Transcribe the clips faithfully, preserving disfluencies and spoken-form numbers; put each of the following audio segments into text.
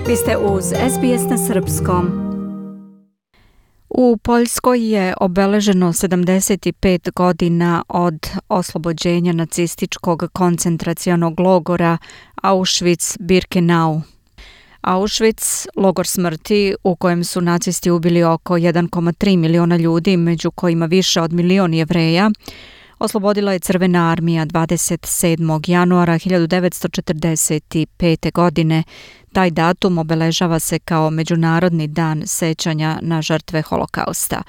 Vi ste uz S B S na srpskom. U Poljskoj je obeleženo sedamdeset pet godina od oslobođenja nacističkog koncentracionog logora Auschwitz-Birkenau. Auschwitz, logor smrti u kojem su nacisti ubili oko jedan zarez tri miliona ljudi, među kojima više od milion Jevreja, oslobodila je Crvena armija dvadeset sedmog januara hiljadu devetsto četrdeset pete. godine. Taj datum obeležava se kao Međunarodni dan sećanja na žrtve Holokausta.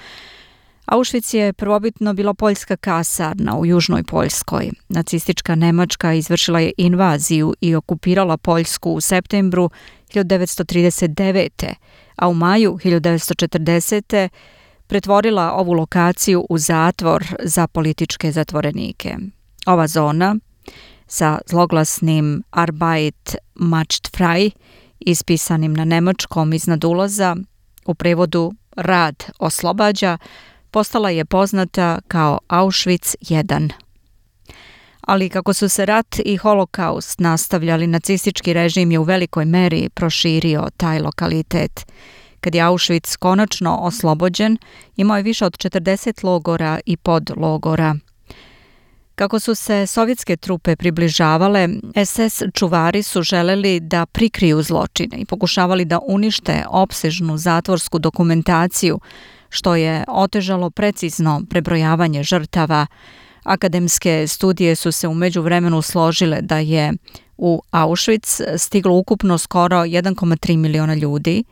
Auschwitz je prvobitno bila poljska kasarna u južnoj Poljskoj. Nacistička Nemačka izvršila je invaziju i okupirala Poljsku u septembru hiljadu devetsto trideset devete. a u maju hiljadu devetsto četrdesete. pretvorila ovu lokaciju u zatvor za političke zatvorenike. Ova zona sa zloglasnim Arbeit macht frei, ispisanim na nemačkom iznad ulaza, u prevodu rad oslobađa, postala je poznata kao Auschwitz jedan. Ali kako su se rat i holokaust nastavljali, nacistički režim je u velikoj meri proširio taj lokalitet. Kad je Auschwitz konačno oslobođen, imao je više od četrdeset logora i podlogora. Kako su se sovjetske trupe približavale, es es čuvari su želeli da prikriju zločine i pokušavali da unište opsežnu zatvorsku dokumentaciju, što je otežalo precizno prebrojavanje žrtava. Akademske studije su se u međuvremenu složile da je u Auschwitz stiglo ukupno skoro jedan zarez tri miliona ljudi.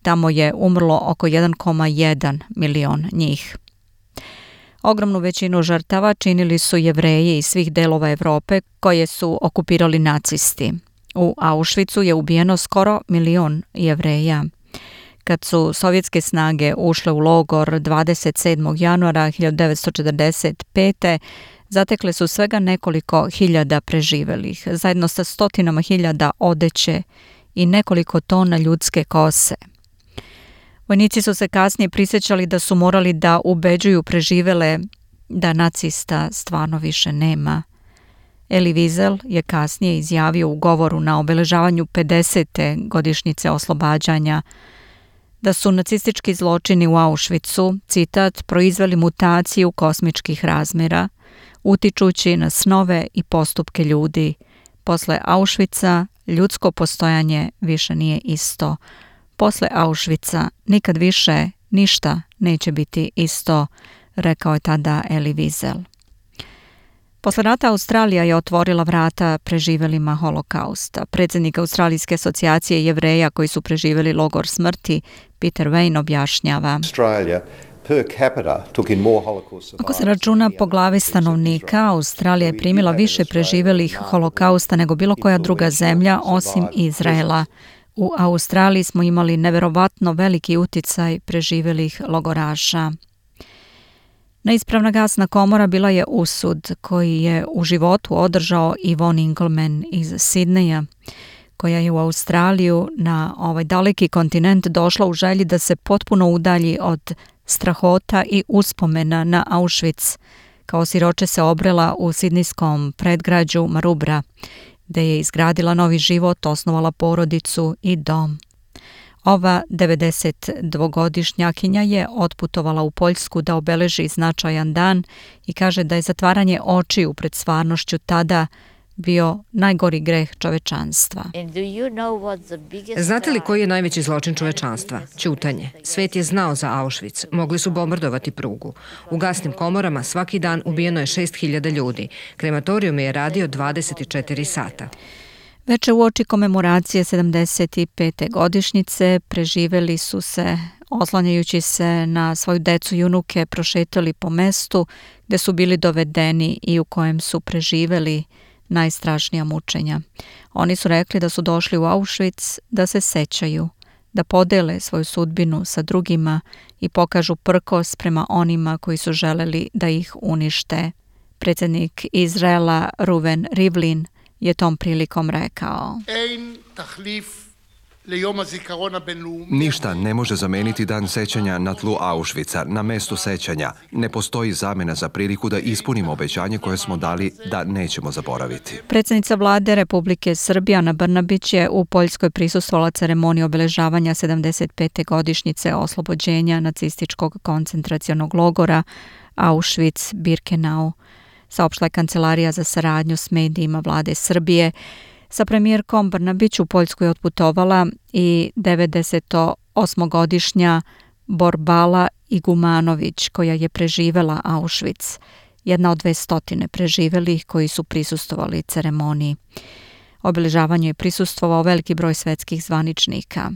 Tamo je umrlo oko jedan zarez jedan milion njih. Ogromnu većinu žrtava činili su Jevreji iz svih delova Evrope koje su okupirali nacisti. U Auschwitzu je ubijeno skoro milion Jevreja. Kad su sovjetske snage ušle u logor dvadeset sedmog januara hiljadu devetsto četrdeset pete. zatekle su svega nekoliko hiljada preživelih, zajedno sa stotinama hiljada odeće i nekoliko tona ljudske kose. Vojnici su se kasnije prisjećali da su morali da ubeđuju preživele da nacista stvarno više nema. Elie Wiesel je kasnije izjavio u govoru na obeležavanju pedesete godišnjice oslobađanja da su nacistički zločini u Auschwitzu, citat, proizveli mutaciju kosmičkih razmjera, utičući na snove i postupke ljudi. Posle Auschwitza ljudsko postojanje više nije isto. Posle Auschwitza nikad više ništa neće biti isto, rekao je tada Elie Wiesel. Posle rata Australija je otvorila vrata preživelima holokausta. Predsjednik Australijske asocijacije Jevreja koji su preživjeli logor smrti, Peter Wayne, objašnjava: Ako se računa po glavi stanovnika, Australija je primila više preživelih holokausta nego bilo koja druga zemlja osim Izraela. U Australiji smo imali neverovatno veliki uticaj preživelih logoraša. Neispravna gasna komora bila je usud koji je u životu održao Yvonne Ingleman iz Sidneja, koja je u Australiju na ovaj daleki kontinent došla u želji da se potpuno udalji od strahota i uspomena na Auschwitz. Kao siroče se obrela u sidnijskom predgrađu Maroubra, gde je izgradila novi život, osnovala porodicu i dom. Ova devedesetdvogodišnjakinja je otputovala u Poljsku da obeleži značajan dan i kaže da je zatvaranje očiju pred stvarnošću tada bio najgori greh čovečanstva. Znate li koji je najveći zločin čovečanstva? Ćutanje. Svet je znao za Auschwitz. Mogli su bombardovati prugu. U gasnim komorama svaki dan ubijeno je šest hiljada ljudi. Krematorijum je radio dvadeset četiri sata. Veče uoči komemoracije sedamdeset pete godišnjice preživeli su se, oslanjajući se na svoju decu i unuke, prošetali po mestu gde su bili dovedeni i u kojem su preživeli najstrašnija mučenja. Oni su rekli da su došli u Auschwitz da se sećaju, da podele svoju sudbinu sa drugima i pokažu prkos prema onima koji su želeli da ih unište. Predsjednik Izraela Reuven Rivlin je tom prilikom rekao: Ništa ne može zameniti dan sećanja na tlu Auschwitza. Na mestu sećanja ne postoji zamena za priliku da ispunimo obećanje koje smo dali da nećemo zaboraviti. Predsjednica vlade Republike Srbije Ana Brnabić je u Poljskoj prisustvovala ceremoniji obeležavanja sedamdeset pete godišnjice oslobođenja nacističkog koncentracionog logora Auschwitz-Birkenau. Saopštila je Kancelarija za saradnju s medijima vlade Srbije. Sa premijerkom Brnabić u Poljsku je otputovala i devedesetosmogodišnja Borbala Igumanović, koja je preživela Auschwitz, jedna od dve stotine preživelih koji su prisustvovali ceremoniji. Obeležavanju je prisustvovao veliki broj svetskih zvaničnika.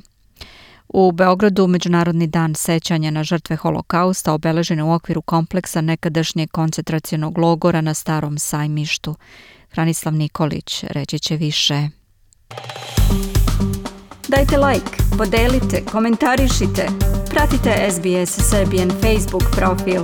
U Beogradu Međunarodni dan sećanja na žrtve Holokausta obeležen je u okviru kompleksa nekadašnjeg koncentracionog logora na Starom sajmištu. Hranislav Nikolić reći će više. Dajte like, podelite, komentarišite, pratite S B S Serbian Facebook profil.